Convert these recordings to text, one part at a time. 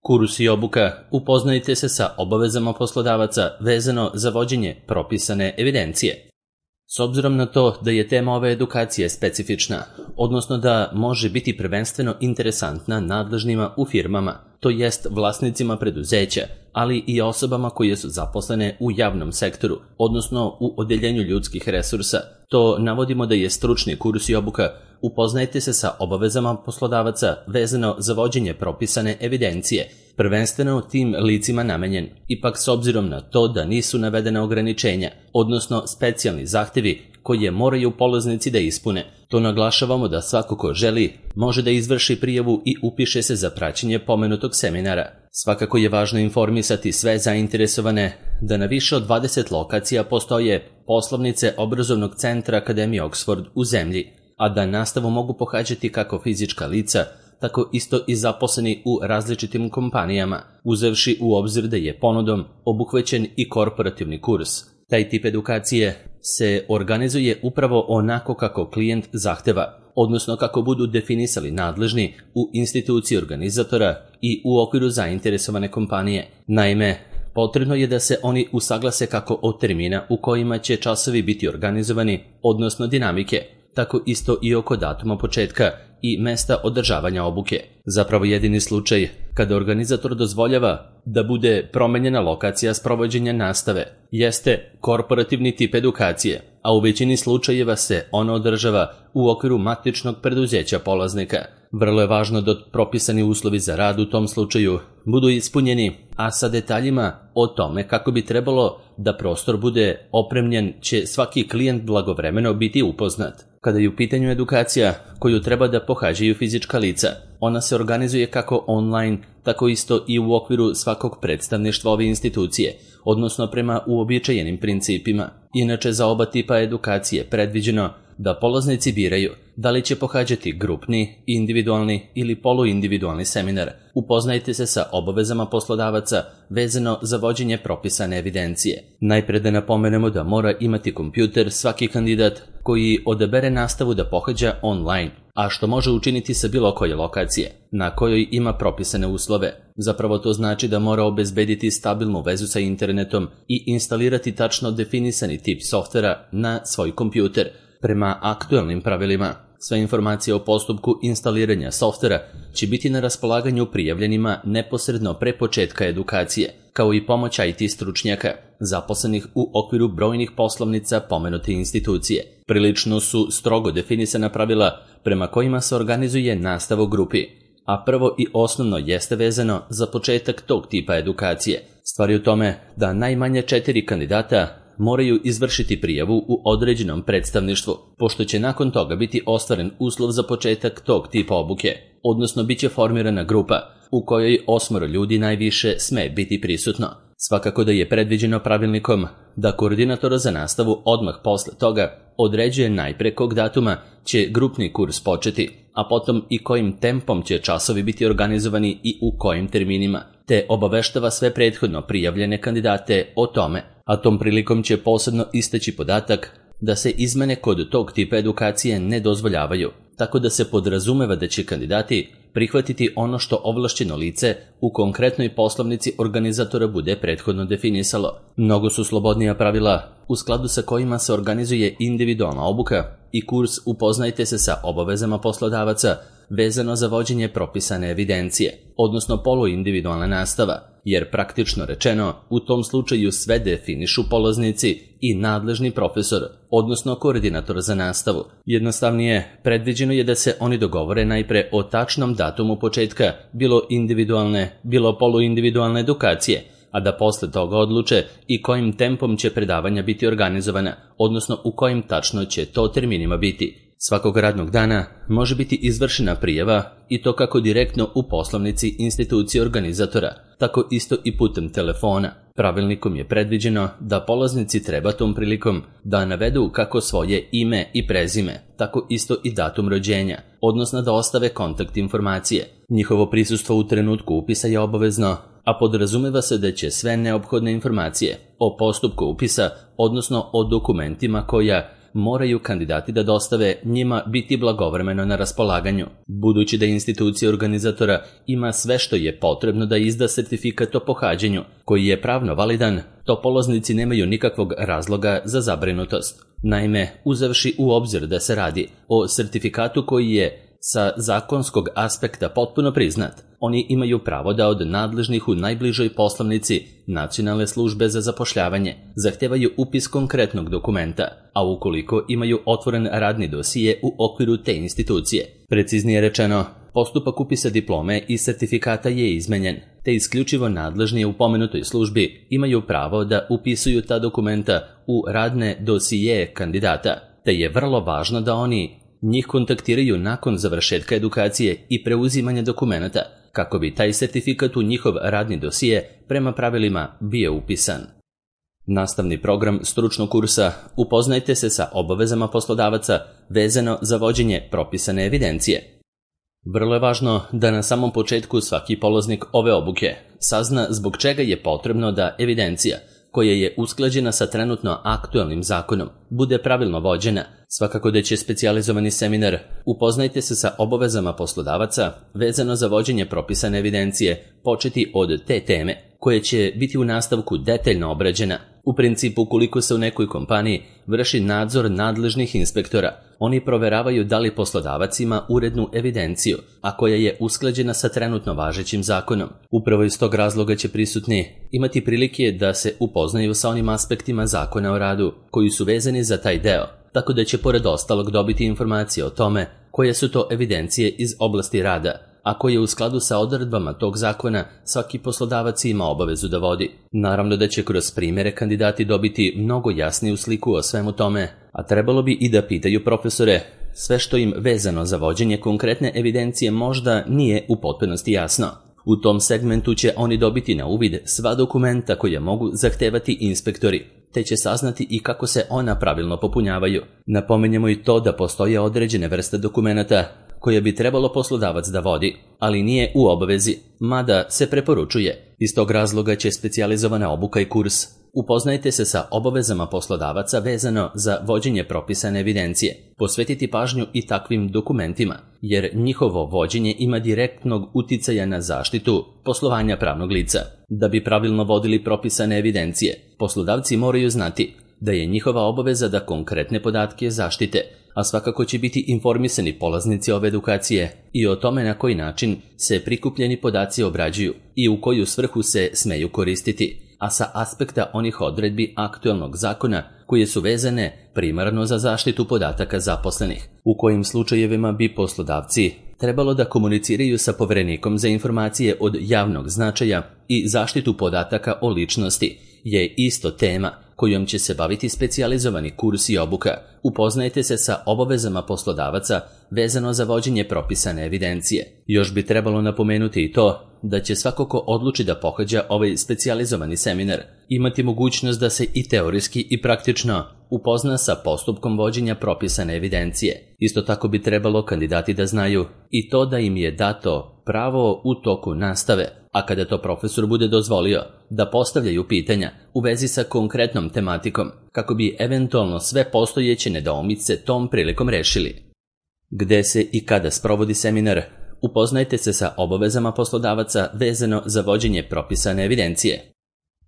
Kurs i obuka, upoznajte se sa obavezama poslodavaca vezano za vođenje propisane evidencije. S obzirom na to da je tema ove edukacije specifična, odnosno da može biti prvenstveno interesantna nadležnima u firmama, to jest vlasnicima preduzeća, ali i osobama koje su zaposlene u javnom sektoru, odnosno u odeljenju ljudskih resursa, to navodimo da je stručni kurs i obuka upoznajte se sa obavezama poslodavaca vezano za vođenje propisane evidencije, prvenstveno tim licima namenjen, ipak s obzirom na to da nisu navedena ograničenja, odnosno specijalni zahtevi koje moraju polaznici da ispune. To naglašavamo da svako ko želi može da izvrši prijavu i upiše se za praćenje pomenutog seminara. Svakako je važno informisati sve zainteresovane da na više od 20 lokacija postoje poslovnice obrazovnog centra Akademije Oxford u zemlji, a da nastavu mogu pohađati kako fizička lica, tako isto i zaposleni u različitim kompanijama, uzevši u obzir da je ponudom obuhvaćen i korporativni kurs. Taj tip edukacije se organizuje upravo onako kako klijent zahteva, odnosno kako budu definisali nadležni u instituciji organizatora i u okviru zainteresovane kompanije. Naime, potrebno je da se oni usaglase kako od termina u kojima će časovi biti organizovani, odnosno dinamike, tako isto i oko datuma početka i mesta održavanja obuke. Zapravo jedini slučaj kada organizator dozvoljava da bude promenjena lokacija sprovođenja nastave jeste korporativni tip edukacije, a u većini slučajeva se ona održava u okviru matičnog preduzeća polaznika. Vrlo je važno da propisani uslovi za rad u tom slučaju budu ispunjeni, a sa detaljima o tome kako bi trebalo da prostor bude opremljen će svaki klijent blagovremeno biti upoznat. Kada je u pitanju edukacija koju treba da pohađaju fizička lica, ona se organizuje kako online, tako isto i u okviru svakog predstavništva ove institucije, odnosno prema uobičajenim principima. Inače, za oba tipa edukacije predviđeno da polaznici biraju da li će pohađati grupni, individualni ili poluindividualni seminar. Upoznajte se sa obavezama poslodavaca vezano za vođenje propisane evidencije. Najpre da napomenemo da mora imati kompjuter svaki kandidat koji odabere nastavu da pohađa online, a što može učiniti sa bilo koje lokacije, na kojoj ima propisane uslove. Zapravo to znači da mora obezbediti stabilnu vezu sa internetom i instalirati tačno definisani tip softvera na svoj kompjuter, prema aktuelnim pravilima. Sve informacije o postupku instaliranja softvera će biti na raspolaganju prijavljenima neposredno pre početka edukacije, kao i pomoć IT stručnjaka, zaposlenih u okviru brojnih poslovnica pomenute institucije. Prilično su strogo definisana pravila prema kojima se organizuje nastava u grupi, a prvo i osnovno jeste vezano za početak tog tipa edukacije. Stvar je u tome da najmanje 4 kandidata moraju izvršiti prijavu u određenom predstavništvu, pošto će nakon toga biti ostvaren uslov za početak tog tipa obuke, odnosno bit će formirana grupa u kojoj 8 ljudi najviše sme biti prisutno. Svakako da je predviđeno pravilnikom da koordinator za nastavu odmah posle toga određuje najpre kog datuma će grupni kurs početi, a potom i kojim tempom će časovi biti organizovani i u kojim terminima, te obaveštava sve prethodno prijavljene kandidate o tome, a tom prilikom će posebno istaći podatak da se izmene kod tog tipa edukacije ne dozvoljavaju, tako da se podrazumeva da će kandidati prihvatiti ono što ovlašćeno lice u konkretnoj poslovnici organizatora bude prethodno definisalo. Mnogo su slobodnija pravila u skladu sa kojima se organizuje individualna obuka i kurs upoznajte se sa obavezama poslodavaca vezano za vođenje propisane evidencije, odnosno poluindividualna nastava, jer praktično rečeno u tom slučaju sve definišu polaznici i nadležni profesor, odnosno koordinator za nastavu. Jednostavnije, predviđeno je da se oni dogovore najpre o tačnom datumu početka bilo individualne, bilo poluindividualne edukacije, a da posle toga odluče i kojim tempom će predavanja biti organizovana, odnosno u kojim tačno će to terminima biti. Svakog radnog dana može biti izvršena prijava i to kako direktno u poslovnici institucije organizatora, tako isto i putem telefona. Pravilnikom je predviđeno da polaznici treba tom prilikom da navedu kako svoje ime i prezime, tako isto i datum rođenja, odnosno da ostave kontakt informacije. Njihovo prisustvo u trenutku upisa je obavezno, a podrazumeva se da će sve neophodne informacije o postupku upisa, odnosno o dokumentima koja moraju kandidati da dostave njima biti blagovremeno na raspolaganju. Budući da institucija organizatora ima sve što je potrebno da izda sertifikat o pohađanju, koji je pravno validan, to polaznici nemaju nikakvog razloga za zabrinutost. Naime, uzevši u obzir da se radi o sertifikatu koji je sa zakonskog aspekta potpuno priznat, oni imaju pravo da od nadležnih u najbližoj poslovnici Nacionalne službe za zapošljavanje zahtevaju upis konkretnog dokumenta, a ukoliko imaju otvoren radni dosije u okviru te institucije. Preciznije rečeno, postupak upisa diplome i sertifikata je izmenjen, te isključivo nadležni u pomenutoj službi imaju pravo da upisuju ta dokumenta u radne dosije kandidata, te je vrlo važno da oni njih kontaktiraju nakon završetka edukacije i preuzimanja dokumenata, kako bi taj sertifikat u njihov radni dosije prema pravilima bio upisan. Nastavni program stručnog kursa Upoznajte se sa obavezama poslodavaca vezano za vođenje propisane evidencije. Vrlo je važno da na samom početku svaki polaznik ove obuke sazna zbog čega je potrebno da evidencija, koja je usklađena sa trenutno aktualnim zakonom, bude pravilno vođena. Svakako da će specijalizovani seminar Upoznajte se sa obavezama poslodavaca vezano za vođenje propisane evidencije početi od te teme, koja će biti u nastavku detaljno obrađena. U principu, ukoliko se u nekoj kompaniji vrši nadzor nadležnih inspektora, oni proveravaju da li poslodavac ima urednu evidenciju, a koja je usklađena sa trenutno važećim zakonom. Upravo iz tog razloga će prisutni imati prilike da se upoznaju sa onim aspektima zakona o radu koji su vezani za taj deo, tako da će pored ostalog dobiti informacije o tome koje su to evidencije iz oblasti rada, a koje u skladu sa odredbama tog zakona svaki poslodavac ima obavezu da vodi. Naravno da će kroz primjere kandidati dobiti mnogo jasniju sliku o svemu tome, a trebalo bi i da pitaju profesore sve što im vezano za vođenje konkretne evidencije možda nije u potpunosti jasno. U tom segmentu će oni dobiti na uvid sva dokumenta koje mogu zahtevati inspektori, te će saznati i kako se ona pravilno popunjavaju. Napominjemo i to da postoje određene vrste dokumenata koje bi trebalo poslodavac da vodi, ali nije u obavezi, mada se preporučuje. Iz tog razloga će specijalizovana obuka i kurs Upoznajte se sa obavezama poslodavaca vezano za vođenje propisane evidencije posvetiti pažnju i takvim dokumentima, jer njihovo vođenje ima direktnog uticaja na zaštitu poslovanja pravnog lica. Da bi pravilno vodili propisane evidencije, poslodavci moraju znati da je njihova obaveza da konkretne podatke zaštite, a svakako će biti informisani polaznici ove edukacije i o tome na koji način se prikupljeni podaci obrađuju i u koju svrhu se smeju koristiti, a sa aspekta onih odredbi aktualnog zakona koje su vezane primarno za zaštitu podataka zaposlenih. U kojim slučajevima bi poslodavci trebalo da komuniciraju sa Poverenikom za informacije od javnog značaja i zaštitu podataka o ličnosti je isto tema kojom će se baviti specijalizovani kurs i obuka. Upoznajte se sa obavezama poslodavaca vezano za vođenje propisane evidencije. Još bi trebalo napomenuti i to da će svako ko odluči da pohađa ovaj specijalizovani seminar imati mogućnost da se i teorijski i praktično upozna sa postupkom vođenja propisane evidencije. Isto tako bi trebalo kandidati da znaju i to da im je dato pravo u toku nastave, a kada to profesor bude dozvolio, da postavljaju pitanja u vezi sa konkretnom tematikom, kako bi eventualno sve postojeće nedoumice tom prilikom rešili. Gde se i kada sprovodi seminar? Upoznajte se sa obavezama poslodavaca vezano za vođenje propisane evidencije.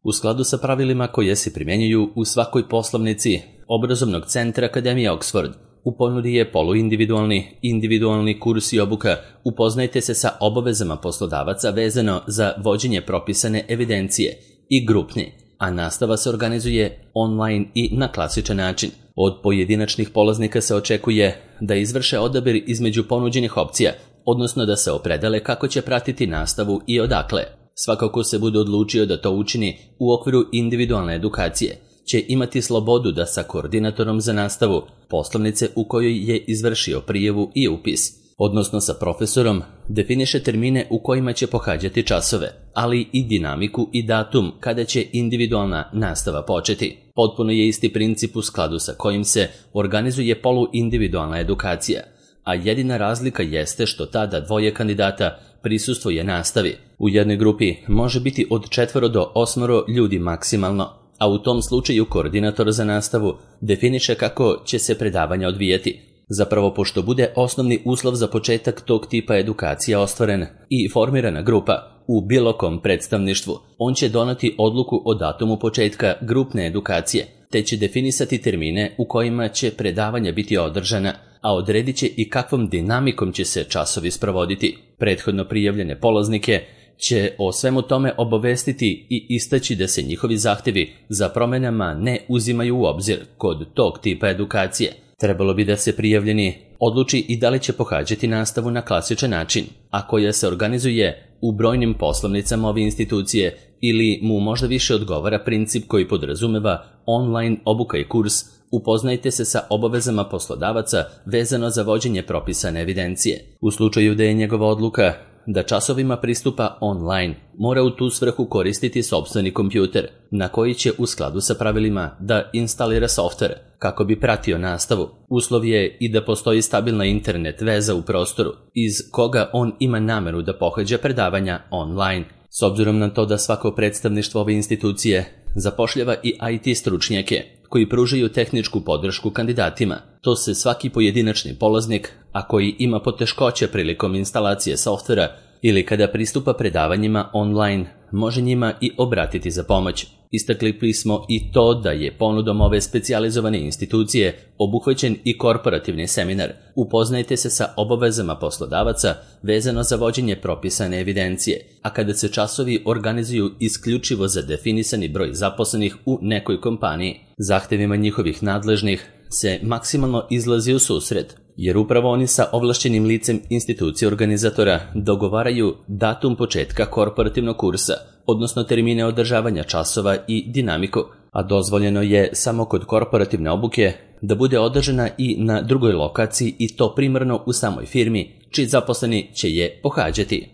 U skladu sa pravilima koje se primjenjuju u svakoj poslovnici obrazovnog centra Akademije Oxford, u ponudi je poluindividualni, individualni kurs i obuka Upoznajte se sa obavezama poslodavaca vezano za vođenje propisane evidencije i grupni, a nastava se organizuje online i na klasičan način. Od pojedinačnih polaznika se očekuje da izvrše odabir između ponuđenih opcija, odnosno da se opredele kako će pratiti nastavu i odakle. Svakako se bude odlučio da to učini u okviru individualne edukacije, će imati slobodu da sa koordinatorom za nastavu poslovnice u kojoj je izvršio prijavu i upis, odnosno sa profesorom, definiše termine u kojima će pohađati časove, ali i dinamiku i datum kada će individualna nastava početi. Potpuno je isti princip u skladu sa kojim se organizuje poluindividualna edukacija, a jedina razlika jeste što tada dvoje kandidata prisustvuje nastavi. U jednoj grupi može biti od 4 do 8 ljudi maksimalno, a u tom slučaju koordinator za nastavu definiše kako će se predavanja odvijati. Zapravo, pošto bude osnovni uslov za početak tog tipa edukacija ostvaren i formirana grupa u bilo kom predstavništvu, on će doneti odluku o datumu početka grupne edukacije, te će definisati termine u kojima će predavanja biti održana, a odredit će i kakvom dinamikom će se časovi sprovoditi. Prethodno prijavljene polaznike će o svemu tome obavestiti i istaći da se njihovi zahtevi za promenama ne uzimaju u obzir kod tog tipa edukacije. Trebalo bi da se prijavljeni odluči i da li će pohađati nastavu na klasičan način, a koja se organizuje u brojnim poslovnicama ove institucije, ili mu možda više odgovara princip koji podrazumeva online obuka i kurs upoznajte se sa obavezama poslodavaca vezano za vođenje propisane evidencije. U slučaju da je njegova odluka da časovima pristupa online, mora u tu svrhu koristiti sopstveni kompjuter, na koji će u skladu sa pravilima da instalira softver kako bi pratio nastavu. Uslov je i da postoji stabilna internet veza u prostoru iz koga on ima nameru da pohađa predavanja online. S obzirom na to da svako predstavništvo ove institucije zapošljava i IT stručnjake koji pružaju tehničku podršku kandidatima, to se svaki pojedinačni polaznik, a koji ima poteškoće prilikom instalacije softvera ili kada pristupa predavanjima online, može njima i obratiti za pomoć. Istakli smo i to da je ponudom ove specijalizovane institucije obuhvaćen i korporativni seminar. Upoznajte se sa obavezama poslodavaca vezano za vođenje propisane evidencije, a kada se časovi organizuju isključivo za definisani broj zaposlenih u nekoj kompaniji, zahtevima njihovih nadležnih se maksimalno izlazi u susret, jer upravo oni sa ovlašćenim licem institucije organizatora dogovaraju datum početka korporativnog kursa, odnosno termine održavanja časova i dinamiku, a dozvoljeno je samo kod korporativne obuke da bude održana i na drugoj lokaciji i to primarno u samoj firmi, čiji zaposleni će je pohađati.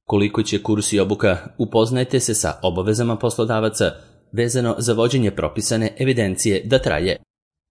Koliko će kurs i obuka, upoznajte se sa obavezama poslodavaca vezano za vođenje propisane evidencije da traje.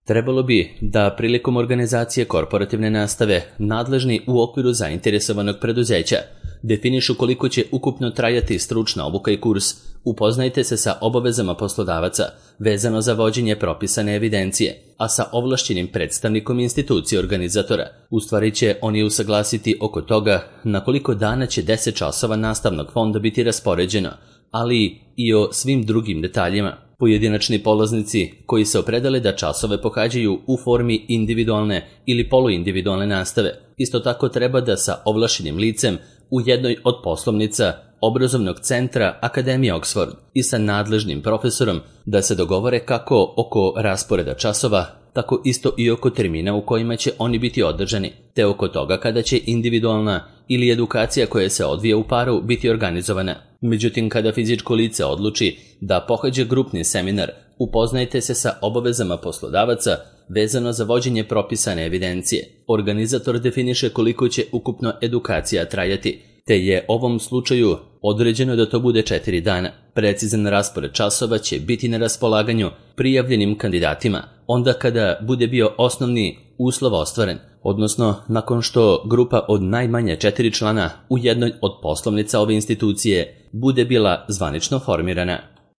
Trebalo bi da prilikom organizacije korporativne nastave nadležni u okviru zainteresovanog preduzeća definišu koliko će ukupno trajati stručna obuka i kurs. Upoznajte se sa obavezama poslodavaca vezano za vođenje propisane evidencije, a sa ovlašćenim predstavnikom institucije organizatora. U stvari će oni usaglasiti oko toga na koliko dana će 10 časova nastavnog fonda biti raspoređeno, ali i o svim drugim detaljima. Pojedinačni polaznici koji se opredele da časove pohađaju u formi individualne ili poluindividualne nastave, isto tako treba da sa ovlašćenim licem u jednoj od poslovnica obrazovnog centra Akademije Oxford i sa nadležnim profesorom da se dogovore kako oko rasporeda časova, tako isto i oko termina u kojima će oni biti održani, te oko toga kada će individualna ili edukacija koja se odvija u paru biti organizovana. Međutim, kada fizičko lice odluči da pohađa grupni seminar, upoznajte se sa obavezama poslodavaca vezano za vođenje propisane evidencije. Organizator definiše koliko će ukupno edukacija trajati, te je ovom slučaju određeno da to bude 4 dana. Precizan raspored časova će biti na raspolaganju prijavljenim kandidatima, onda kada bude bio osnovni uslov ostvaren, odnosno nakon što grupa od najmanje 4 člana u jednoj od poslovnica ove institucije bude bila zvanično formirana.